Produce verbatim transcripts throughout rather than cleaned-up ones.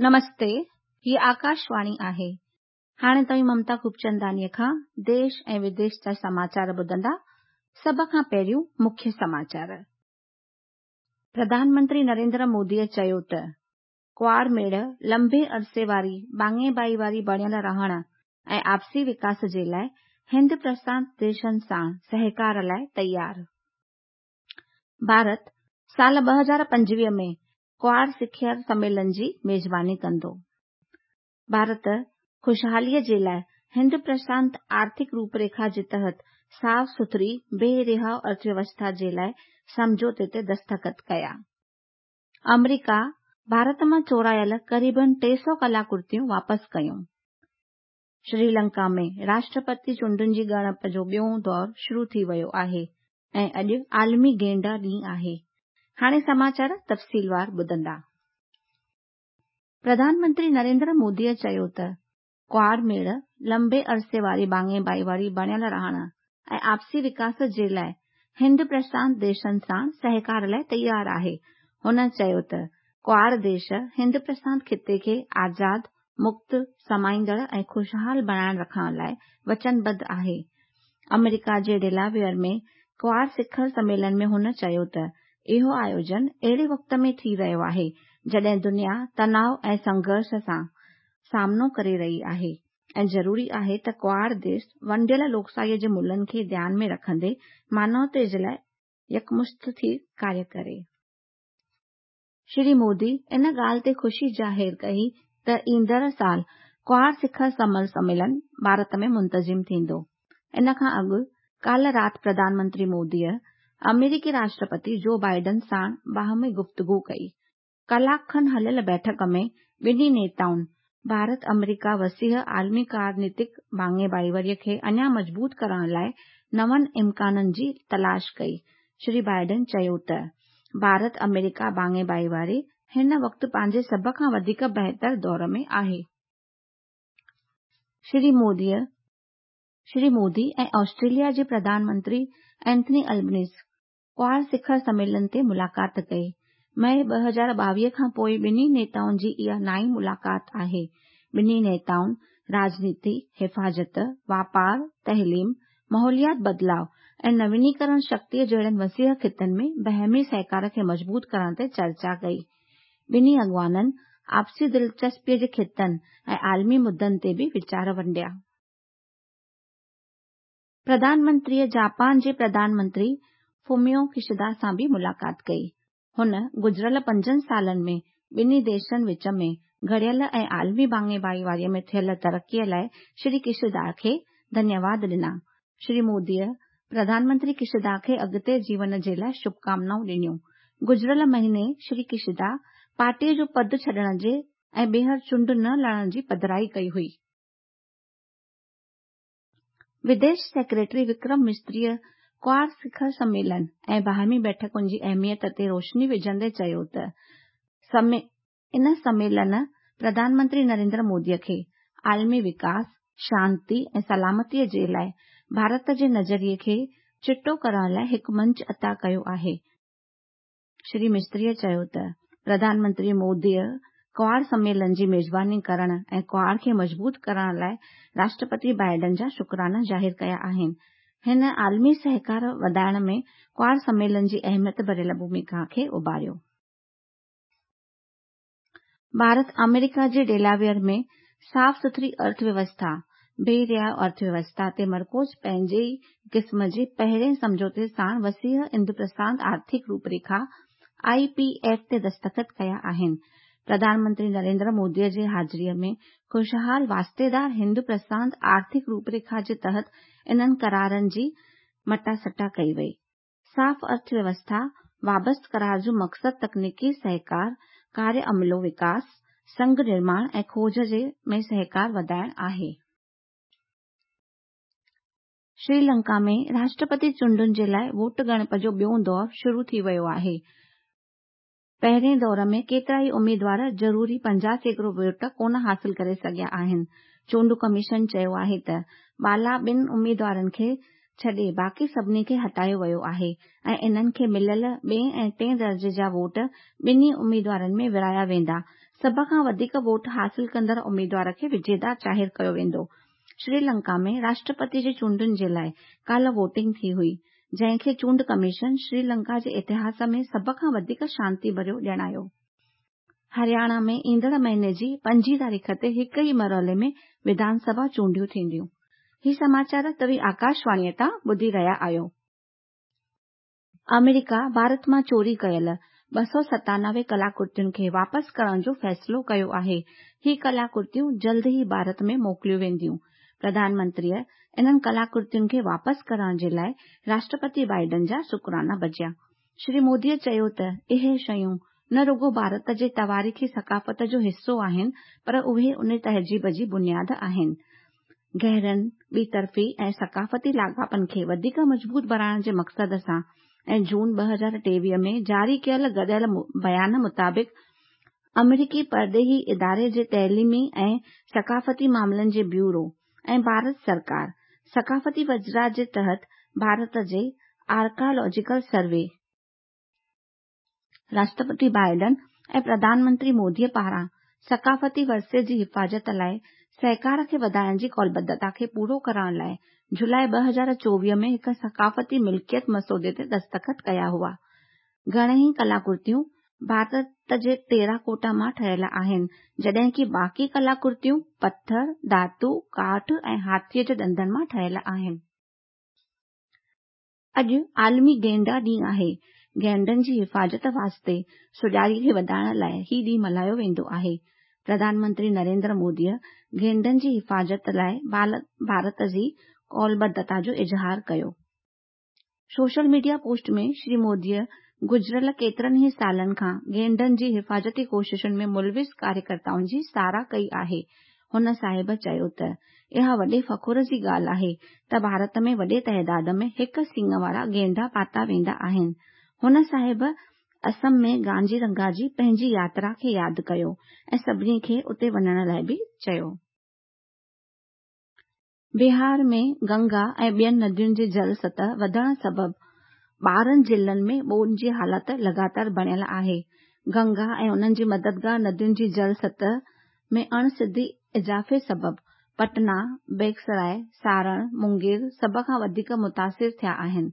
नमस्ते, ही आकाशवाणी आहे। हाणे तव्हीं ममता खूबचंदानीअ खां देश ऐं विदेश जा समाचार ॿुधंदा। सभ खां पहिरियों मुख्य समाचार। प्रधानमंत्री नरेंद्र मोदीअ चयो त क्वाड मेड़ लंबे अरसे वारी बाङे भाईवारी बणियल रहण ऐं आपसी विकास जे लाइ हिंद प्रशांत देशनि सां सहकार लाइ तयारु। भारत साल ॿ हज़ार पंजवीह में क्वाड शिखर सम्मेलन जी मेज़बानी कंदो। भारत ख़ुशहालीअ जे लाइ हिंद प्रशांत आर्थिक रूपरेखा जे तहत साफ़ सुथरी बेरिहाव अर्थव्यवस्था जे लाइ सम्झौते ते दस्तख़त कया। अमरीका भारत मां चोरायल क़रीबन टे सौ कलाकृतियूं वापसि कयूं। श्रीलंका में राष्ट्रपति चूंडुनि जी ॻणप जो ॿियो दौर शुरू थी वियो आहे ऐं अॼु आलमी गेंडा ॾींहुं आहे। हाणे समाचार तफ़सीलवार ॿुधंदा। प्रधानमंत्री नरेंद्र मोदीअ चयो त क्वाड मेड़ लंबे अरसे वारी बाङे भाईवारी बणियल रहण ऐं आपसी विकास जे लाइ हिंद प्रशांत देशनि सां सहकार लाइ तयारु आहे। हुन चयो त क्वाड देश हिंद प्रशांत ख़िते खे आज़ाद, मुक्त, समाईंदड़ ऐं ख़ुशहाल बणाए रखण लाइ वचनबद्ध आहे। अमेरिका जे डेलावेयर में क्वाड शिखर सम्मेलन में हुन चयो त इहो आयोजन अहिड़े वक़्त में थी रहियो आहे जॾहिं दुनिया तनाव ऐं संघर्ष सां सामनो करे रही आहे ऐं ज़रूरी आहे त क्वाड देश वंडियल लोकशाहीअ जे मुलनि खे ध्यान में रखंदे मानवता जे लाइ यकमुश्त थी कार्य करे। श्री मोदी इन ॻाल्हि ते ख़ुशी ज़ाहिर कई त ईंदड़ साल क्वाड शिखर सम्मेलन भारत में मुंतज़िम थींदो। इन खां अॻु काल्ह राति प्रधानमंत्री मोदीअ अमेरिकी राष्ट्रपति जो बाइडन सां बाहमी गुफ़्तगू कई। कलाक खनि हलियल बैठक में ॿिन्ही नेताउनि भारत अमेरिका वसीह आलमी राजनीतिक भाङे भाईवारीअ खे अञा मज़बूत करण लाइ नवनि इम्काननि जी तलाश कई। श्री बाइडन चयो त भारत अमेरिका भाङे भाईवारी हिन वक़्तु पंहिंजे सभ खां वधीक बहितर दौर में आहे। श्री मोदीअ श्री मोदी ऐं ऑस्ट्रेलिया जे प्रधानमंत्री एंथनी अल्बनीज़ क्वाड शिखर सम्मेलन ते मुलाक़ात कई। मई ॿ हज़ार ॿावीह खां पोइ ॿिन्ही नेताउनि जी इहा नाई मुलाक़ात आहे। ॿिन्ही नेताउनि राजनीति, हिफ़ाज़त, वापार, तइलीम, माहौलियात बदिलाव ऐं नवीनीकरण शक्तीअ जहिड़नि वसीह ख़ितनि में बहमी सहकार खे मज़बूत करण ते चर्चा कई। ॿिन्ही अॻवाननि आपसी दिलचस्पीअ जे ख़ितनि ऐं आलमी मुद्दनि ते बि वीचार वंडिया। प्रधानमंत्रीअ जापान जे प्रधानमंत्री फुमियो किशिदा सां बि मुलाक़ात कई। हुन गुज़िरियल पंजनि सालनि में ॿिन्ही देशनि विच में घड़ियल ऐं आलमी भाङे भाईवारीअ में थियल तरक़ीअ लाइ श्री किशिदा खे धन्यवाद ॾिना। श्री मोदीअ प्रधानमंत्री किशिदा खे अॻिते जीवन जे लाइ शुभकामनाऊं ॾिनियूं। गुज़िरियल महीने श्री किशिदा पार्टीअ जो पद छॾण जे ऐं ॿीहर चूंड न लड़ण जी पधराई कई हुई। विदेश सेक्रेटरी विक्रम मिस्त्रीअ क्वाड शिखर सम्मेलन ऐं बाहमी बैठकुनि जी अहमियत ते रोशनी विझंदे चयो त इन सम्मेलन प्रधानमंत्री नरेंद्र मोदीअ खे आलमी विकास, शांति ऐं सलामतीअ जे लाइ भारत जे नज़रिए खे चिटो करण लाइ हिकु मंच अता कयो आहे। श्री मिस्त्रीअ चयो त प्रधानमंत्री मोदीअ क्वाड सम्मेलन जी मेज़बानी करण ऐं क्वाड खे मज़बूत करण लाइ राष्ट्रपति बाइडन जा शुक्राना ज़ाहिर कया आहिनि। हिन आलमी सहकार वधाइण में क्वाड सम्मेलन जी अहमियत भरियल भूमिका खे उभारियो। भारत अमेरिका जे डेलावेयर में साफ़ सुथरी अर्थव्यवस्था, बेरिया अर्थव्यवस्था ते मरकूज़ पंहिंजे ई क़िस्म जे पहिरें सम्झौते सां वसीह हिंद प्रशांत आर्थिक रूपरेखा I P F ते दस्तख़त कया आहिनि। प्रधानमंत्री नरेंद्र मोदीअ जे हाज़िरीअ में ख़ुशहाल वास्तेदार हिंद प्रशांत आर्थिक रूपरेखा जे तहत इन्हनि करारनि जी मटासटा कई वई। साफ़ अर्थव्यवस्था वाबस्ता करार जो मक़सदु तकनीकी सहकार, कार्य अमिलो विकास, संघ निर्माण ऐं खोज में सहकार वधाइण आहे। श्रीलंका में राष्ट्रपति चूंडुनि जे लाइ वोट ॻणप जो ॿियो दौर शुरू थी वियो आहे। पहिरें दौर में केतिरा ई उम्मीदवार ज़रूरी पंजाह सैकड़ो वोट कोन हासिल करे सघिया आहिनि। चूंड कमीशन चयो आहे त बाला ॿिनि उम्मीदवारनि खे छॾे बाक़ी सभिनी खे हटायो वियो आहे ऐं इन्हनि खे मिलियल ॿिए ऐं टे दर्जे जा वोट ॿिन्ही उम्मीदवारनि में विराया वेंदा। سڀ کان وڌيڪ ووٽ حاصل ڪندڙ اميدوار کي وجيتا ظاهر ڪيو ويندو. سري لنڪا ۾ راشٽرپتي جي چونڊن جي لاءِ ڪالهه ووٽنگ ٿي هئي، جنهن کي چونڊ ڪميشن سري لنڪا جي اتهاس ۾ سڀ کان وڌيڪ شانتي ڀريو ڄاڻايو. هرياڻا ۾ ايندڙ مهيني جي پنجين تاريخ تي هڪ ئي مرحلي ۾ وڌان سڀا چونڊيون ٿينديون. هي سماچار توهين آڪاشواڻيءَ تان ٻڌي رهيا آهيو. آمريڪا ڀارت مان چوري ڪيل ٻه سؤ ستانوي ڪلاڪرتين کي واپس ڪرڻ جو فيصلو ڪيو آهي. هي ڪلاڪرتيون جلد ئي ڀارت ۾ موڪليون وينديون. پرڌان منتريءَ انهن ڪلاڪرتين کي واپس ڪرڻ جي لاءِ راشٽرپتي بائيڊن جا شڪرانا بجيا. شري موديءَ چيو ته اهي شيون نه رڳو ڀارت جي تواريخي ثقافت جو حصو آهن، پر اهي ان تهذيب جي بنياد آهن. گهرن، ٻطرفي ۽ ثقافتي لاڳاپن کي وڌيڪ مضبوط بڻائڻ جي مقصد سان ۽ جون ٻه هزار ٽيويهه ۾ جاري ڪيل گڏيل بيان مطابق آمريڪي پرڏيهي اداري جي تعليمي ۽ ثقافتي معاملن جي بيورو ۽ ڀارت سرڪار ثقافتي وزارت جي تحت ڀارت جي archaeological survey, Rashtrapati Biden ۽ Pradhan Mantri موديءَ پاران ثقافتي ورثي جي حفاظت لاءِ سهڪار کي وڌائڻ جي قولبڌتا کي پورو ڪرڻ لاءِ جولاءِ ٻه هزار چوويهه ۾ هڪ ثقافتي ملڪيت مسودي تي دستخط ڪيا هئا. گهڻيئي ڪلاڪرتيون ڀارت جي ٽيراڪوٽا مان ٺهيل آهن، جڏهن ڪه باقي ڪلاڪرتيون پٿر، ڌاتو، ڪاٺ ۽ هاٿيءَ جي ڏندن مان ٺهيل آهن. اڄ عالمي گينڊا ڏينهن آهي. گينڊن جي حفاظت واسطي سجاڳي کي وڌائڻ لاءِ هي ڏينهن ملهايو ويندو آهي. پرڌان منتري نريندر موديءَ گينڊن جي حفاظت لاءِ ڀارت جي قولبڌتا جو اظهار ڪيو. سوشل ميڊيا پوسٽ ۾ شري موديءَ گذريل ڪيترن ئي سالن کان گينڊن جي حفاظتي ڪوششن ۾ ملوث ڪاريڪرتائن جي ساراهه ڪئي آهي. هن صاحب چيو ته اها وڏي فخر جي ڳالهه آهي ته ڀارت ۾ وڏي تعداد ۾ هڪ سڱ وارا گينڊا پاتا ويندا آهن. هن صاحب اسم ۾ ڪازيرنگا جي پنهنجي ياترا کي ياد ڪيو ۽ سڀني کي اتي وڃڻ لاءِ به چيو. بهار ۾ گنگا ۽ ٻين ندين جي جل سطح وڌڻ سبب ٻارهن ضلعن ۾ ٻوڏ جي حالت لڳاتار بڻيل آهي. گنگا ۽ انهن جي مددگار ندين جي جل سطح ۾ اڻ سڌي اضافي سبب پٽنا، بيگسراءِ، سارڻ، مونگير سڀ کان وڌيڪ متاثر ٿيا آهن.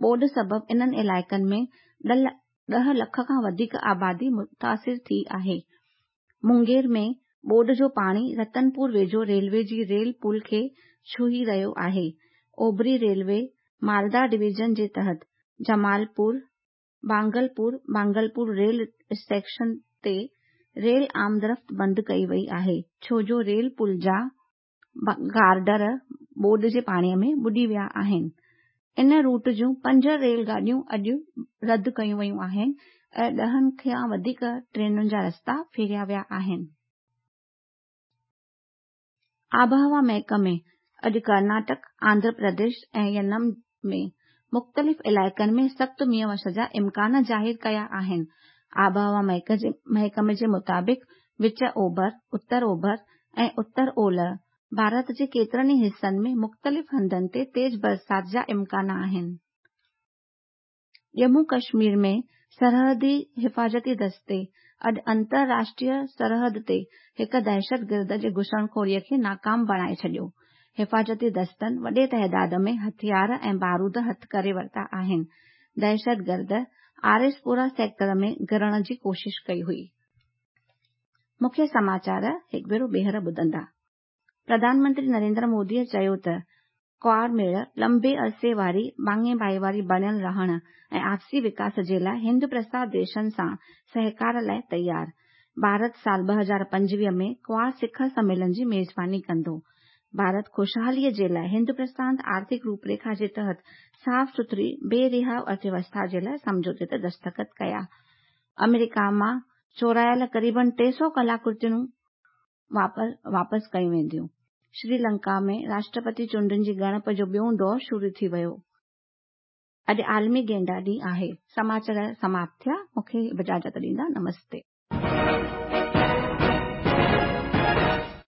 ٻوڏ سبب انهن علائقن ۾ ڏهه لک کان وڌيڪ آبادي متاثر ٿي آهي. مونگير ۾ ٻوڏ جو پاڻي رتنپور ويجهو ريلوي جي ريل پل کي ڇهي رهيو آهي. اوڀري ريلوي مالدا ڊويزن جي تحت جمالپور، بانگلپور، بانگلپور ريل اسٽيشن تي ريل آمدرفت بند ڪئي وئي آهي، ڇو جو ريل پل جا گارڊر ٻوڏ جي پاڻيءَ ۾ ٻڏي ويا آهن. ان روٽ جون پنج ريل گاڏيون اڄ رد ڪيون ويون آهن ۽ ڏهن کان وڌيڪ ٽرينن جا رستا ڦيريا ويا آهن. آبهوا محڪمي اڄ ڪرناٽڪ، آنڌرا پرديش ۽ ينم ۾ مختلف علائقن ۾ سخت مينهن وسڻ جا امڪان ظاهر ڪيا آهن. آبهوا محڪمي جي مطابق وچ اوڀر، اتر اوڀر ۽ اتر اولهه ڀارت جي ڪيترن ئي حصن ۾ مختلف هنڌن تي تيز برسات جا امڪان آهن. ڄمون ڪشمير ۾ سرحدي حفاظتي دستي اڄ انترراشٽريه سرحد تي هڪ دهشتگرد جي گهسڻخوريءَ کي ناڪام بڻائي ڇڏيو. حفاظتي دستن وڏي تعداد ۾ هٿيار ۽ بارود هٿ ڪري ورتا آهن. دهشتگرد آريسپورا سيڪٽر ۾ گهڙڻ جي ڪوشش ڪئي هئي. مکيه سماچار هڪ ڀيرو ٻيهر ٻڌندا. پرڌان منتري نريندر موديءَ چيو ته ڪواڊ ميڙ لمبي عرصي واري ڀاڱي ڀائيواري بڻيل رهڻ ۽ آپسي وڪاس جي لاءِ هند پرشانت ديشن سان سهڪار لاءِ تيار. ڀارت سال ٻه هزار پنجويهه ۾ ڪواڊ شکر سميلن جي ميزباني ڪندو. ڀارت خوشحاليءَ جي لاءِ هند پرشانت آرٿڪ روپريکا جي تحت صاف سٿري بي رهاءُ ارٿويوسٿا جي لاءِ سمجهوتي تي دستخط ڪيا. آمريڪا مان چورايل قريبن ٽي سؤ ڪلاڪرتيون واپس ڪيون وينديون. سري لنڪا ۾ راشٽرپتي چونڊن جي ڳڻپ جو ٻيون دور شروع ٿي ويو. اڄ عالمي گينڊا ڏينهن آهي. سماچار سماپت ٿيا. مون کي اجازت ڏيندا. نمستي.